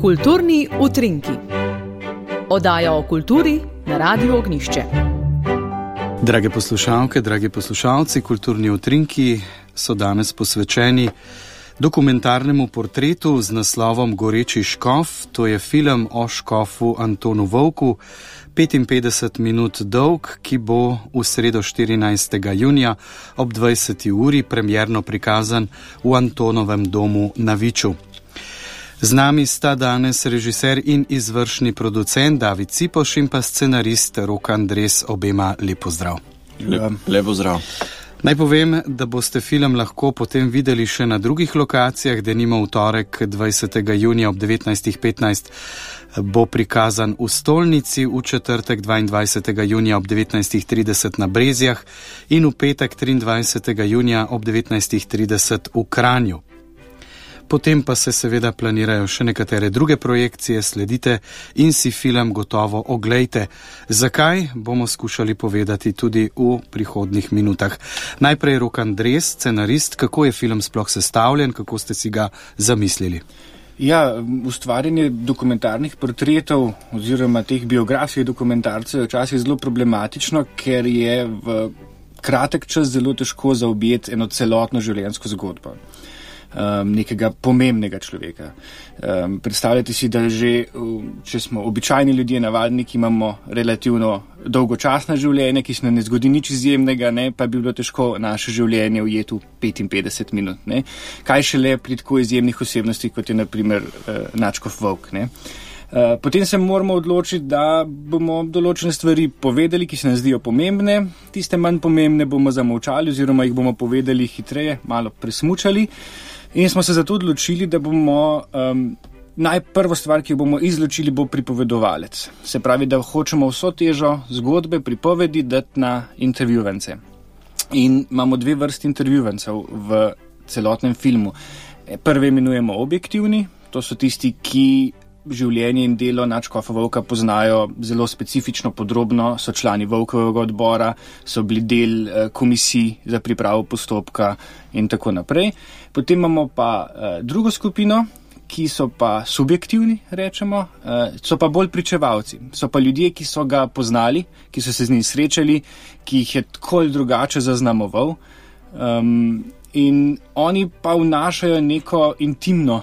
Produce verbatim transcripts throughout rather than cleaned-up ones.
Kulturni utrinki. Oddaja o kulturi na Radiu Ognjišče. Drage poslušalke, dragi poslušalci, Kulturni utrinki so danes posvečeni dokumentarnemu portretu z naslovom Goreči škof. To je film o škofu Antonu Vovku, petinpetdeset minut dolg, ki bo v sredo štirinajstega junija ob dvajseti uri premierno prikazan v Antonovem domu na Viču. Z nami sta danes režiser in izvršni producent David Cipoš in pa scenarist Rok Andres. Obema lep pozdrav. Lep, lep pozdrav. Naj povem, da boste film lahko potem videli še na drugih lokacijah, denimo v torek dvajsetega junija ob devetnajstih petnajst bo prikazan v Stolnici, v četrtek dvaindvajsetega junija ob devetnajstih trideset na Brezjah in v petek triindvajsetega junija ob devetnajstih trideset v Kranju. Potem pa se seveda planirajo še nekatere druge projekcije, sledite in si film gotovo oglejte. Zakaj, bomo skušali povedati tudi v prihodnjih minutah. Najprej Rok Andres, scenarist, kako je film sploh sestavljen, kako ste si ga zamislili? Ja, ustvarjanje dokumentarnih portretov oziroma teh biografskih dokumentarcev je včasih zelo problematično, ker je v kratek čas zelo težko zaobjeti eno celotno življenjsko zgodbo. Um, nekega pomembnega človeka. Um, predstavljajte si, da že, če smo običajni ljudje, navadniki, imamo relativno dolgočasna življenja, ki se nam ne zgodi nič izjemnega, ne, pa bi bilo težko naše življenje ujeti v petinpetdeset minut. Ne. Kaj šele pri tako izjemnih osebnostih, kot je na primer uh, Nadškof Vovk. Ne. Uh, potem se moramo odločiti, da bomo določene stvari povedali, ki se nam zdijo pomembne, tiste manj pomembne bomo zamolčali oziroma jih bomo povedali hitreje, malo presmučali. In smo se zato odločili, da bomo um, najprvo stvar, ki jo bomo izločili, bo pripovedovalec. Se pravi, da hočemo vso težo zgodbe, pripovedi dati na intervjuvance. In imamo dve vrsti intervjuvancev v celotnem filmu. Prve imenujemo objektivni, to so tisti, ki življenje in delo Nadškofa Vovka poznajo zelo specifično, podrobno, so člani Vovkovega odbora, so bili del eh, komisij za pripravo postopka in tako naprej. Potem imamo pa eh, drugo skupino, ki so pa subjektivni, rečemo, eh, so pa bolj pričevalci. So pa ljudje, ki so ga poznali, ki so se z njim srečali, ki jih je tako ali drugače zaznamoval. Um, in oni pa vnašajo neko intimno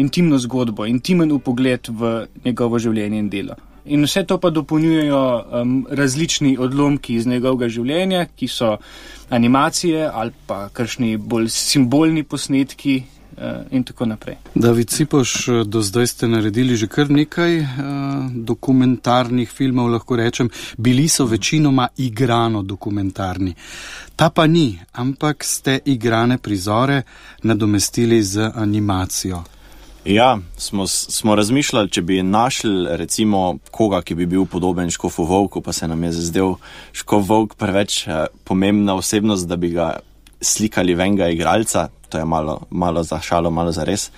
intimno zgodbo, intimen upogled v njegovo življenje in delo. In vse to pa dopolnjujejo um, različni odlomki iz njegovega življenja, ki so animacije ali pa kakšni bolj simbolni posnetki uh, in tako naprej. David Cipoš, do zdaj ste naredili že kar nekaj uh, dokumentarnih filmov, lahko rečem. Bili so večinoma igrano dokumentarni. Ta pa ni, ampak ste igrane prizore nadomestili z animacijo. Ja, smo, smo razmišljali, če bi našli recimo koga, ki bi bil podoben Škofu Vovku, pa se nam je zazdel Škof Vovk preveč eh, pomembna osebnost, da bi ga slikali venga igralca, to je malo, malo za šalo, malo za res.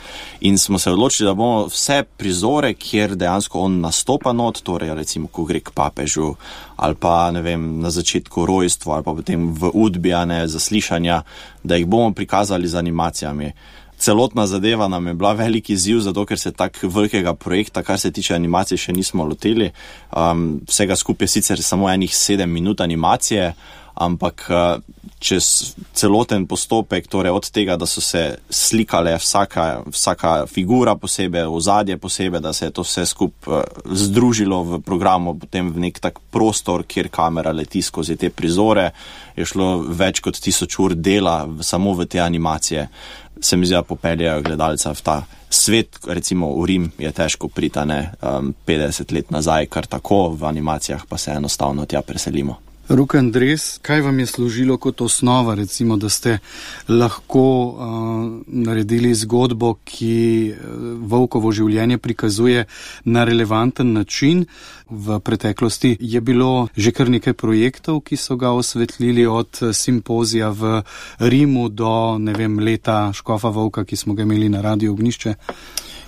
In smo se odločili, da bomo vse prizore, kjer dejansko on nastopa not, torej recimo, ko gre k papežu, ali pa, ne vem, na začetku rojstva, ali pa potem v udbijane zaslišanja, da jih bomo prikazali z animacijami. Celotna zadeva nam je bila veliki izziv, zato ker se tak velikega projekta, kar se tiče animacije, še nismo lotili. Um, vsega skupaj sicer samo enih sedem minut animacije, ampak uh, čez celoten postopek, torej od tega, da so se slikale vsaka, vsaka figura posebej, ozadje posebej, da se je to vse skupaj uh, združilo v programu, potem v nek tak prostor, kjer kamera leti skozi te prizore, je šlo več kot tisoč ur dela samo v te animacije. Se mi zdi, da popeljajo gledalca v ta svet, recimo v Rim je težko priti, ne, um, petdeset let nazaj, kar tako, v animacijah pa se enostavno tja preselimo. Rok Andres, kaj vam je služilo kot osnova, recimo, da ste lahko uh, naredili zgodbo, ki Vovkovo življenje prikazuje na relevanten način? V preteklosti je bilo že kar nekaj projektov, ki so ga osvetlili, od simpozija v Rimu do, ne vem, leta Škofa Vovka, ki smo ga imeli na Radiu Ognjišče.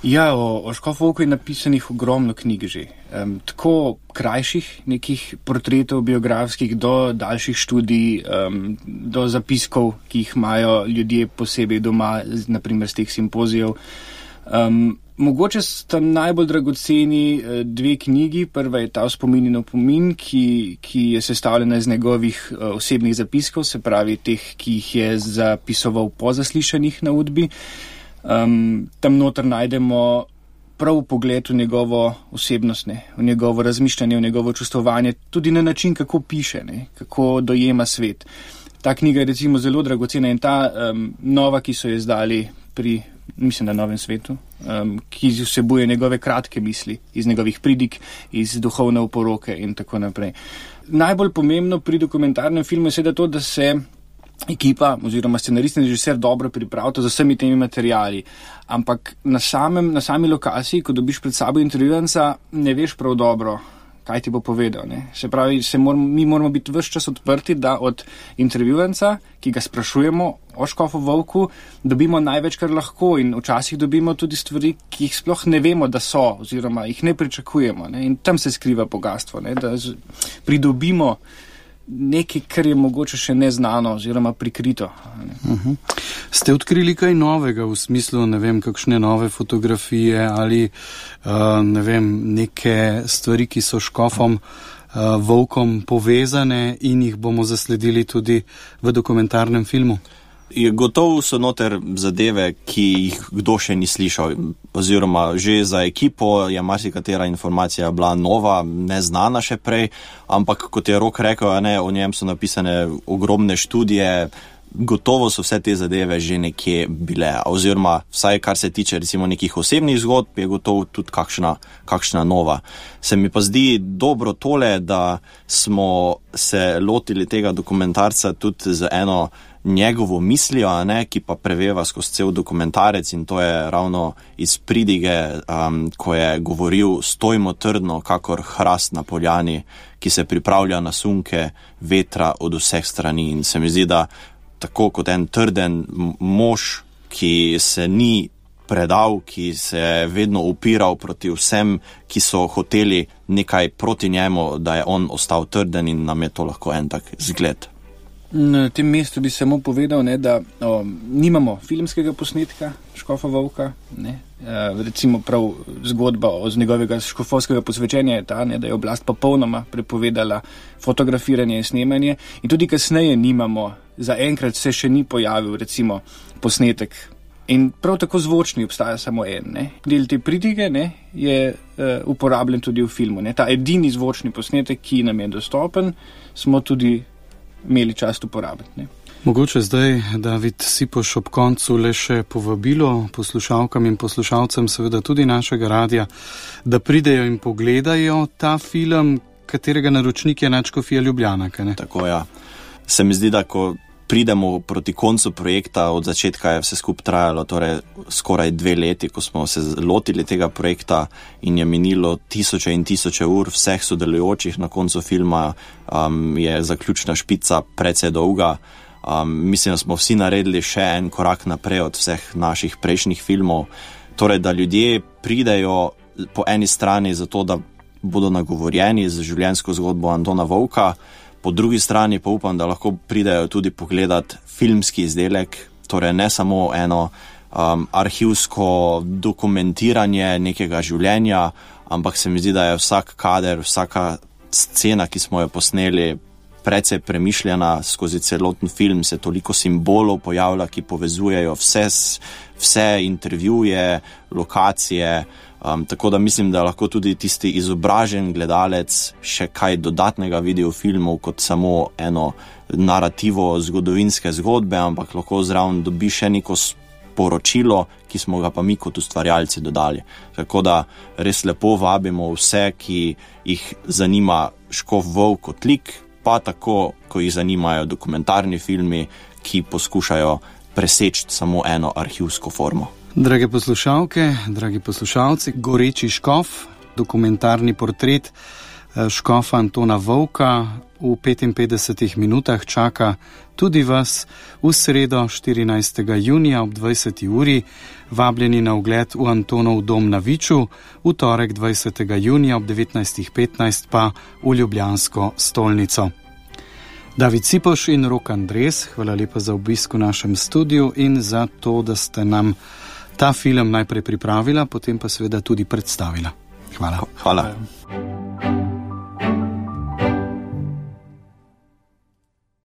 Ja, o, o Škofu Vovku je napisanih ogromno knjig že. Um, tako krajših nekih portretov biografskih do daljših študij, um, do zapiskov, ki jih imajo ljudje posebej doma, naprimer z teh simpozijev. Um, Mogoče sta najbolj dragoceni dve knjigi. Prva je ta Spomin in opomin, ki, ki je sestavljena iz njegovih osebnih zapiskov, se pravi teh, ki jih je zapisoval po zaslišanjih na Udbi. Um, tam noter najdemo prav pogled v njegovo osebnost, ne, v njegovo razmišljanje, v njegovo čustvovanje, tudi na način, kako piše, ne, kako dojema svet. Ta knjiga je recimo zelo dragocena in ta um, nova, ki so jo izdali pri, mislim, na Novem svetu, um, ki vsebuje njegove kratke misli iz njegovih pridig, iz duhovne oporoke in tako naprej. Najbolj pomembno pri dokumentarnem filmu je seveda to, da se ekipa oziroma scenarist in režiser dobro pripravita z vsemi temi materiali. Ampak na, samem, na sami lokaciji, ko dobiš pred sabo intervjuvanca, ne veš prav dobro, kaj ti bo povedal. Ne? Se pravi, se moramo, mi moramo biti ves čas odprti, da od intervjuvanca, ki ga sprašujemo o Škofu Volku, dobimo največ, kar lahko, in včasih dobimo tudi stvari, ki jih sploh ne vemo, da so, oziroma jih ne pričakujemo. Ne? In tam se skriva bogatstvo, ne? Da pridobimo nekaj, kar je mogoče še neznano oziroma prikrito. Uh-huh. Ste odkrili kaj novega v smislu, ne vem, kakšne nove fotografije ali uh, ne vem, neke stvari, ki so Škofom uh, Volkom povezane in jih bomo zasledili tudi v dokumentarnem filmu? Je gotovo so noter zadeve, ki jih kdo še ni slišal, oziroma že za ekipo je marsikatera informacija bila nova, neznana še prej, ampak kot je Rok rekel, ne, o njem so napisane ogromne študije, gotovo so vse te zadeve že nekje bile, oziroma vsaj kar se tiče recimo nekih osebnih zgodb, je gotovo tudi kakšna, kakšna nova. Se mi pa zdi dobro tole, da smo se lotili tega dokumentarca tudi z eno njegovo mislijo, ne, ki pa preveva skozi cel dokumentarec, in to je ravno iz pridige, um, ko je govoril: stojmo trdno, kakor hrast na poljani, ki se pripravlja na sunke vetra od vseh strani. In se mi zdi, da tako kot en trden mož, ki se ni predal, ki se je vedno upiral proti vsem, ki so hoteli nekaj proti njemu, da je on ostal trden, in nam je to lahko en tak zgled. Na tem mestu bi samo povedal, ne, da o, nimamo filmskega posnetka Škofa Volka. Ne. E, recimo prav zgodba z njegovega škofovskega posvečenja je ta, ne, da je oblast popolnoma prepovedala fotografiranje in snemanje, in tudi kasneje nimamo, zaenkrat se še ni pojavil recimo posnetek. In prav tako zvočni obstaja samo en. Ne. Del te pridige, ne, je e, uporabljen tudi v filmu. Ne. Ta edini zvočni posnetek, ki nam je dostopen, smo tudi imeli čast uporabiti. Ne. Mogoče zdaj, David Sipoš, ob koncu le še povabilo poslušalkam in poslušalcem, seveda tudi našega radia, da pridejo in pogledajo ta film, katerega naročnik je Nadškofija Ljubljana. Ne? Tako, ja. Se mi zdi, da ko pridemo proti koncu projekta, od začetka je vse skupaj trajalo, torej skoraj dve leti, ko smo se lotili tega projekta, in je minilo tisoče in tisoče ur vseh sodelujočih na koncu filma, um, je zaključna špica precej dolga. Um, mislim, da smo vsi naredili še en korak naprej od vseh naših prejšnjih filmov. Torej, da ljudje pridejo po eni strani zato, da bodo nagovorjeni z življenjsko zgodbo Antona Volka, po drugi strani pa upam, da lahko pridejo tudi pogledat filmski izdelek, torej ne samo eno um, arhivsko dokumentiranje nekega življenja, ampak se mi zdi, da je vsak kader, vsaka scena, ki smo jo posneli, precej premišljena. Skozi celoten film se toliko simbolov pojavlja, ki povezujejo vse, vse intervjuje, lokacije. Um, tako da mislim, da lahko tudi tisti izobražen gledalec še kaj dodatnega vidi v filmu kot samo eno narativo zgodovinske zgodbe, ampak lahko zraven dobi še neko sporočilo, ki smo ga pa mi kot ustvarjalci dodali. Tako da res lepo vabimo vse, ki jih zanima Škof Volk kot lik, pa tako, ko jih zanimajo dokumentarni filmi, ki poskušajo preseči samo eno arhivsko formo. Drage poslušalke, dragi poslušalci, Goreči škof, dokumentarni portret škofa Antona Volka v petinpetdesetih minutah čaka tudi vas v sredo štirinajstega junija ob dvajseti uri, vabljeni na ogled v Antonov dom na Viču, v torek dvajsetega junija ob devetnajstih petnajst pa v ljubljansko stolnico. David Sipoš in Rok Andres, hvala lepa za obisk v našem studiu in za to, da ste nam ta film najprej pripravila, potem pa seveda tudi predstavila. Hvala. Hvala.